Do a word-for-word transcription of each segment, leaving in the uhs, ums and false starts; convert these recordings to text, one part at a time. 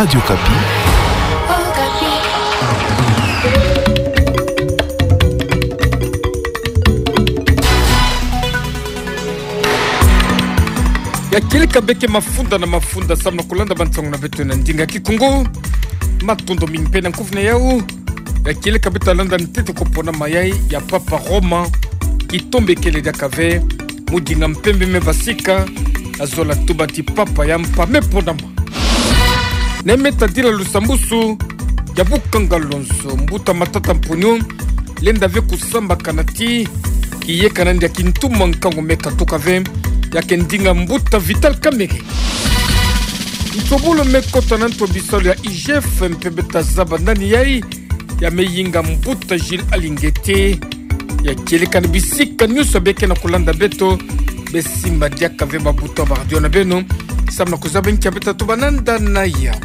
Radio Okapi. Ya kieleka beke mafunda na mafunda samu na kulanda bansangu na beto na ndinga kikungu. Matondo mingi mpe na nkufi na yau. Ya kieleka beto landa ntete ko ponama yai ya Papa Roma. Kitombe kele diaka ve, mu dinga mpembe me basika, azola tuba ti Papa ya mpa me ponama. Na meta dila lusambusu ya bukanga lonzo, mbuta Matata Mponyo lenda ve kusambakana ti kiyeka na ndia kintuma nkangu me katuka ve, ya ke ndinga mbuta Vital Kamerhe. Ntobolo me kota na nto bisalu ya I G F, mpembe ta zaba nani yai, ya me yinga mbuta Gilles Alingete. Ya kieleka na bisika nyonso beke na kulanda beto, besimba diaka ve mabuta ba radio na beno, samu na kuzaba nkia beta tuba nanda na yau.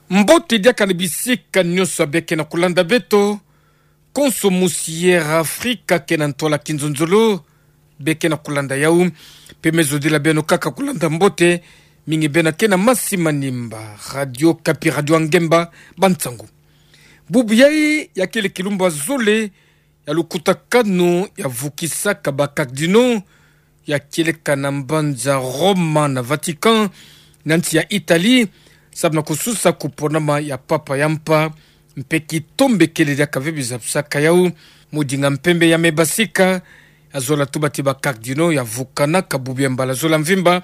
Mbote diaka na bisika nyonso beke na kulanda beto, konso musi Air Afrika ke na ntwala kinzonzolo, beke na kulanda yau, mpe me zodila beno kaka kulanda mbote, mingi beno ke na masi manimba, Radio Okapi, radio ya ngemba, bansangu. Bubu yai ya kele kilumbu ya zole ya lukutakanu ya vukisaka ba cardinaux, ya kieleka na mbanza Roma na Vatican, na nsi ya Italie, samu na kususa ku ponama ya Papa ya mpa, mpe kitombe kele diaka ve bizabisaka yau, mu dinga mpembe ya me basika, azola tuba ti ba cardinaux ya vukanaka bubu ya mbala zola mvimba,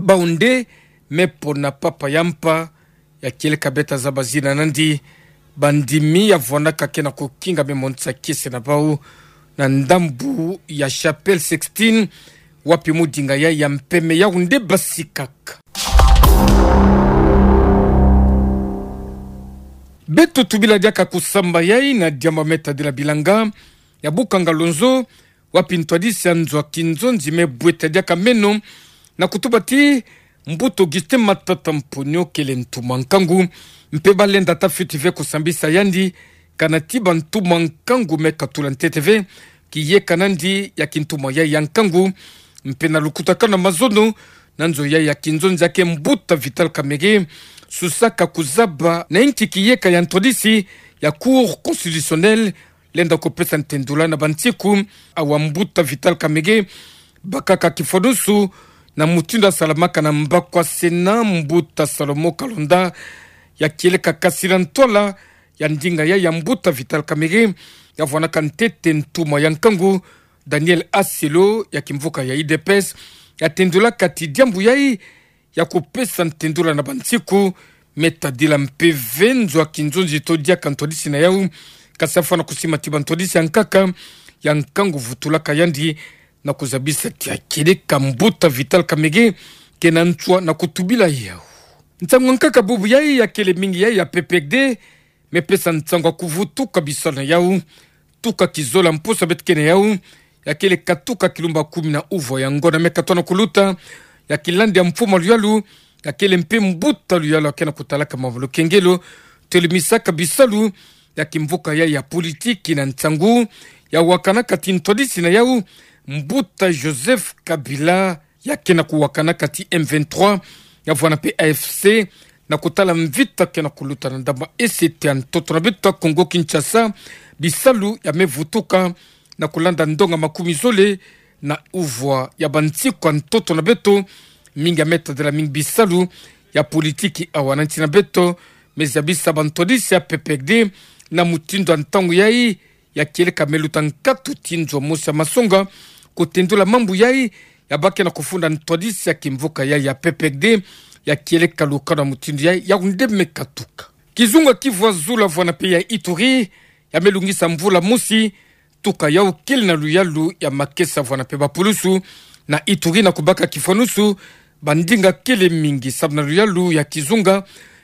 bau nde me pona Papa ya mpa, ya kieleka beta zaba zina nandi, bandimi ya vwanaka ke na kukinga me monisa kiese na bau, na ndambu ya Chapelle Sixtine, wapi mu dinga yai ya mpeme yau nde basikaka. Beto tubila diaka kusamba yai na diamba me tadila bilanga ya bukanga lonzo, wapi ntwadisi ya nzo ya kinzonzi me bweta diaka meno, na kutuba ti mbuta Augustin Matata Mponyo kele ntuma nkangu, mpe balenda ta fioti ve kusambisa yandi, kana ti ba ntuma nkangu me katula ntete ve kiyeka nandi ya kintuma yai ya nkangu, mpe na lukutakanu na mazono na nzo yai ya kinzonzi ya ke mbuta Vital Kamerhe, susaka kuzaba na inki kiyeka ya ntwadisi ya Cour constitutionnelle lenda kupesa ntendula na bansiku awa mbuta Vital Kamerhe bakaka kifwanusu, na mutindu asalamaka na mbaku ya Sénat mbuta Salomon Kalonda, ya kieleka kasi na ntwala ya ndinga yai ya mbuta Vital Kamerhe, ya vwanaka ntete ntuma ya nkangu, Daniel Asselo, ya kimvuka ya U D P S, ya tendulaka ti diambu yai ya kupesa ntendula na bansiku me tadila mpe ve nzo ya kinzonzi to diaka ntwadisi na yau, kasi afwana kusima ti ba ntwadisi ya nkaka ya nkangu vutulaka yandi, na kuzabisa ti ya kieleka mbuta Vital Kamerhe ke na ntswa na kutubila yau. Nsangu ya nkaka bubu yai ya kele mingi yai ya P P R D, me pesa nsangu ya kuvutuka bisalu na yau, tuka kizola mposo beto ke na yau, ya kele katuka kilumbu ya kumi na uvwa ya ngona me katona kuluta, ya kilandi ya mfumu a luyalu, ya kele mpe mbuta luyalu ya ke na kutalaka mambu lukengelo, tolimisaka bisalu ya kimvuka yai ya politiki na nsangu ya wakanaka ti ntwadisi na yau, mbuta Joseph Kabila, ya ke na kuwakanaka ti M vingt-trois, ya vwana mpe A F C, na kutala mvita ke na kuluta na ndambu ya Est ya ntoto na beto Kongo Kinshasa, bisalu ya me vutuka na kulanda ndonga makumi zole na uvwa ya bansiku ya ntoto na beto, mingi ya me tadila mingi bisalu ya politiki awa na nsi na beto, me zabisa ba ntwadisi ya P P R D na mutindu ya ntangu yai, ya kieleka me luta nkatu ti nzo mosi ya masonga kutendula mambu yai, ya bake na kufunda ntwadisi ya kimvuka yai ya P P R D, ya kieleka lukano ya mutindu yai, yau nde me katuka. Kizunga kivwa zulu vwana mpe ya Ituri, ya me lungisa mvula mosi, tuka yau kele na luyalu ya makesa vwana mpe ba pulusu na Ituri na kubaka kifwanusu, ba ndinga kele mingi samu na luyalu ya kizunga,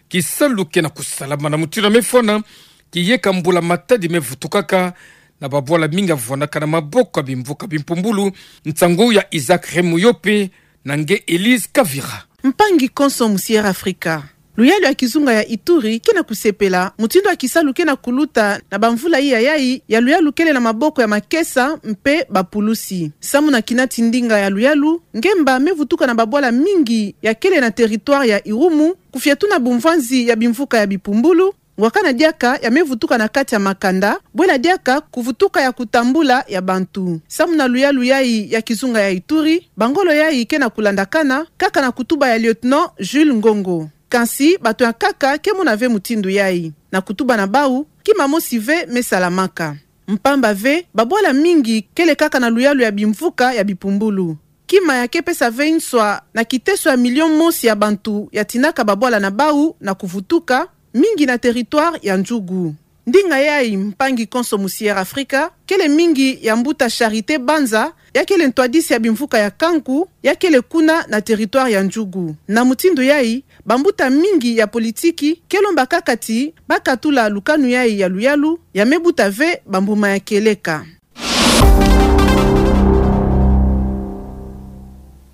kisalu ke na kusalama na mutindu ya me fwana, kiyeka mbula matadi me vutukaka, na babwala mingi ya vwanaka na maboko ya bimvuka bimpumbulu. Nsangu ya Isaac Remoyope, na nge Elise Kavira. Mpangi konso mu Sierra Africa. Luyalu ya kizunga ya Ituri ke na kusepela mutindu ya kisalu ke na kuluta na bamvula iya yayi ya luyalu kele na maboko ya makesa mpe bapulusi. Samu na kinati ndinga ya luyalu, ngemba me vutuka na babwala mingi ya kele na territoire ya Irumu, kufia tuna bumvwanzi ya bimvuka ya bipumbulu, ngwakana diaka ya me vutuka na kati ya makanda, bwela diaka kuvutuka ya kutambula ya bantu. Samu na luyalu yayi ya kizunga ya Ituri, bangolo yayi ke na kulandakana kaka na kutuba ya lieutenant Jules Ngongo. Kansi bato ya nkaka ke mona ve mutindu yayi. Na kutuba na bawu, kima mosi ve me salamaka. Mpamba ve, babwala mingi kele kaka na luyalu ya bimvuka ya bipumbulu. Kima ya ke pesa ve nswa na kiteso ya million mosi ya bantu ya tinaka babwala na bawu na kuvutuka, mingi na territoire ya Ndjugu. Ndinga yayi, mpangi konso mu Sierra Africa, kele mingi ya mbuta Charité Banza, ya kele ntwadisi ya bimvuka ya Kanku, ya kele kuna na territoire ya Ndjugu. Na mutindu yayi, bambuta mingi ya politiki ke lomba kaka ti ba katula lukanu yayi ya luyalu, ya me buta ve bambuma ya kieleka.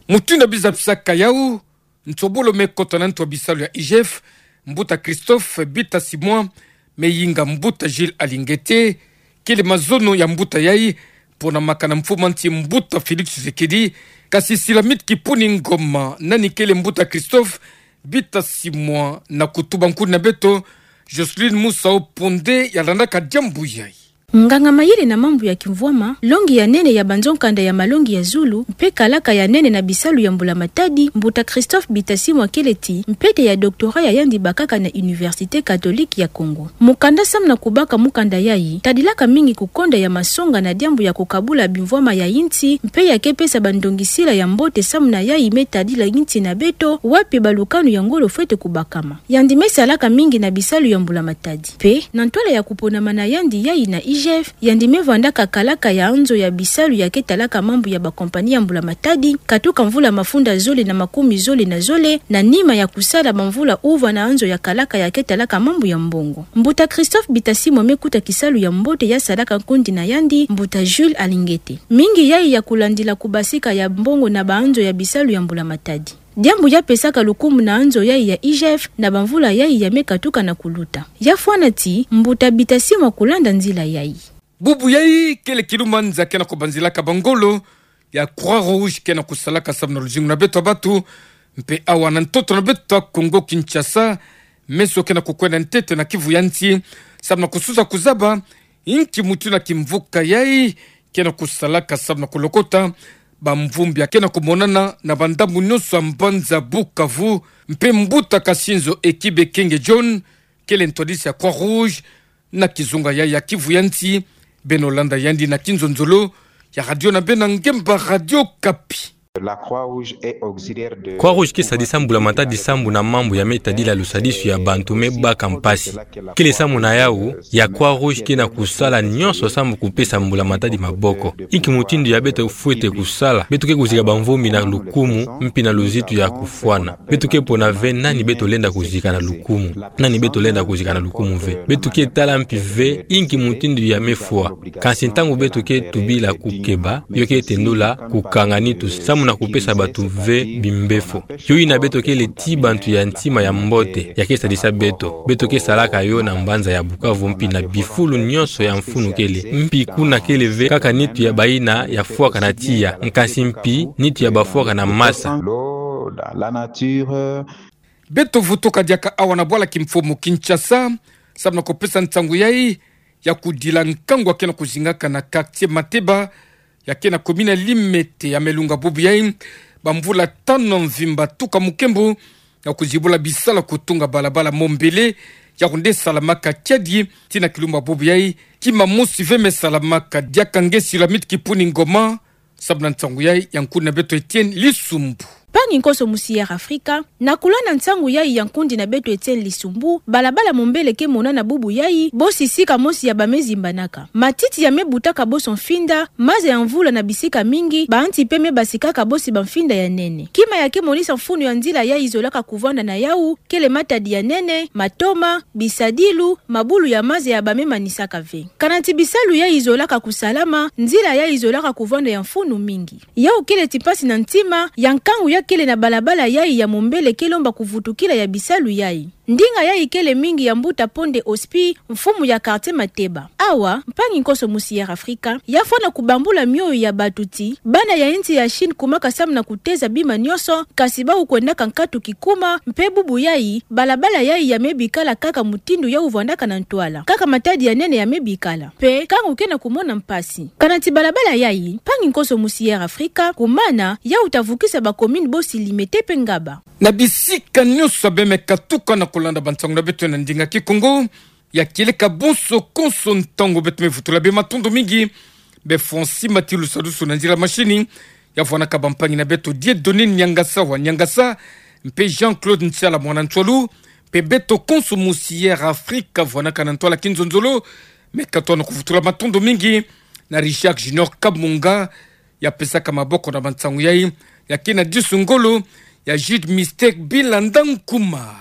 Mutindu ya biza pisaka yawu, nsobolo me kota na ntu ya bisalu ya I G F, mbuta Christophe Bitasimwa, me yinga mbuta Jules Alingete, kele mazono ya mbuta yayi, pona makana mfumu a nsi mbuta Félix Tshisekedi, kasi Silamit Kipuni Ngoma, nani kele mbuta Christophe Bitasimwa, na kutuba nkundi na beto, Jocelyne Musau Ponde, ya landaka diambu yayi. Nganga-mayele na mambu ya kimvwama, longi ya nene ya banzo-nkanda ya malongi ya zulu, mpe kalaka ya nene na bisalu ya mbula-matadi, mbuta Christophe Bitasimwa kele ti mpete ya doctorat ya yandi bakaka na Université Catholique ya Congo. Mukanda samu na kubaka mukanda yayi, tadilaka mingi kukonda ya masonga na diambu ya kukabula bimvwama ya insi, mpe ya ke pesa bandongisila ya mbote samu na yayi me tadila insi na beto, wapi balukanu ya ngolo fwete kubakama. Yandi me salaka mingi na bisalu ya mbula-matadi. Mpe, na ntwala ya kuponama na yandi yayi na I G F, yandi me vwandaka kalaka ya nzo ya bisalu ya ke talaka mambu ya bakompani ya mbula-matadi, katuka mvula mafunda zole na makumi zole na zole, na nima ya kusala bamvula uvana nzo ya kalaka ya ke talaka mambu ya mbongo. Mbuta Christophe Bitasimwa me kuta kisalu ya mbote ya salaka nkundi na yandi, mbuta Jules Alingete. Mingi yayi ya kulandila kubasika ya mbongo na banzo ya bisalu ya mbula-matadi. Diambu ya pesaka lukumu na nzo yayi ya I G F na bamvula yayi ya me katuka na kuluta. Ya fwana ti, mbuta Bitasimwa kulanda nzila yayi. Bubu yayi kele kilumanza ke na kubanzilaka bangolo ya Croix-Rouge ke na kusalaka samu na luzingu na beto ya bantu, mpe awa na ntoto na beto ya Congo-Kinshasa, meso ke na kukwenda ntete na Kivu ya nsi, samu na kususa kuzaba inki mutindu ya kimvuka yayi ke na kusalaka samu na kulokota bamvumbi ya ke na kumonana na bandambu nyonso ya mbanza Bukavu, mpe mbuta Kasinzo Ekibe Kenge John, kele ntwadisi ya Croix-Rouge na kizunga yayi ya Kivu ya nsi, beno landa yandi na kinzonzolo ya radio na beno ya ngemba Radio Okapi. La Croix-Rouge est auxiliaire de Croix-Rouge ke sadisa mbula-matadi sambu na mambu ya me tadila lusadisu ya bantu me baka mpasi. Kele samu na yawu, ya Croix-Rouge ke na kusala nyonso samu kupesa mbula-matadi maboko. Inki mutindu ya beto fwete kusala, beto ke kuzika bamvumbi na lukumu, mpi na luzitu ya kufwana. Beto ke pona ve nani beto lenda kuzika na lukumu, nani beto lenda kuzika na lukumu ve. Beto ke tala mpi ve inki mutindu ya me fwa. Kansi ntangu beto ke tubila kukeba, yo ke tendula kukanga nitu samu na kupesa bantu ve bimbefo. Yo yina beto kele ti bantu ya ntima ya mbote, ya ke sadisa beto. Beto ke salaka yo na mbanza ya Bukavu mpi na bifulu nyonso ya mfunu kele. Mpi kuna kele ve kaka nitu ya bayina ya fwaka na tiya, nkansi mpi nitu ya bafwaka na masa. L'eau, la, la nature. Beto vutuka diaka awa na bwala kimfumu Kinshasa, samu na kupesa nsangu yayi ya kudila nkangu ya ke na kuzingaka na quartier Mateba, ya ke na commune ya Limete ya Melunga bubu yayi, bamvula tanu mvimba tuka mukembu, ya kuzibula bisalu kutunga balabala Mombele, ya kunde salamaka kiadi, tii na kilumbu bubu yayi, kima mosi ve me salamaka. Diaka nge Silamit Kipuni Ngoma, samu na nsangu yayi ya nkundi na beto Etienne Lisumbu. Mpangi nkonso mu Sierra Africa, na kulanda nsangu yayi ya nkundi na beto Etienne Lisumbu, balabala Mombele ke monana bubu yayi, bosi sika mosi ya ba me zimbanaka. Matiti ya me butaka bonso mfinda, maza ya mvula na bisika mingi, banti mpe me basikaka bosi bamfinda ya nene. Kima ya ke monisa mfunu ya nzila yayi zolaka kuvanda na yawu, kele matadi ya nene, matoma, bisadilu, mabulu ya maza ya ba me manisaka ve. Kana ti bisalu yayi zolaka kusalama, nzila yayi zolaka kuvanda ya mfunu mingi. Yawu kele ti mpasi na ntima ya nkangu ya kele na balabala yai ya mombele ke lomba kuvutukila ya bisalu yai. Ndinga yai kele mingi ya mbuta Ponde Ospi, mfumu ya quartier Mateba. Awa, mpangi nkoso musi Air Africa, ya fwana kubambula mioyo ya bato ti, bana ya insi ya Chine kumaka samu na kuteza bima nionso, kasi bawu kwendaka nkatu kikuma, mpe bubu yai, balabala yai ya mebikala kaka mutindu yawu vwandaka na ntwala. Kaka matadi ya nene ya mebikala. Mpe, kangu ke na kumona mpasi. Kana ti balabala yai, mpangi nkoso musi Air Africa, kumana, yawu ta vukisa ba commune bosi Limete mpe Ngaba. Na bisika nionso bê me katuka na kulanda bansangu na beto na ndinga Kikongo, ya kieleka bonso konso ntangu beto me vutula bê, matondo mingi. Bê Francis Matilu Sadusu na nzila mashini, ya vwanaka bampangi na beto Dieudonné Niangasa wa Niangasa, mpe Jean-Claude Ntiala mwana Ntialu, mpe beto konso musi Air Africa vwanaka na ntwala kinzonzolo, me katoa na kuvutula, matondo mingi. Na Richard Junior Kamunga, ya pesaka maboko na bansangu yai, ya kina disu ngolo, ya Jude Mystère Bilanda Nkuma.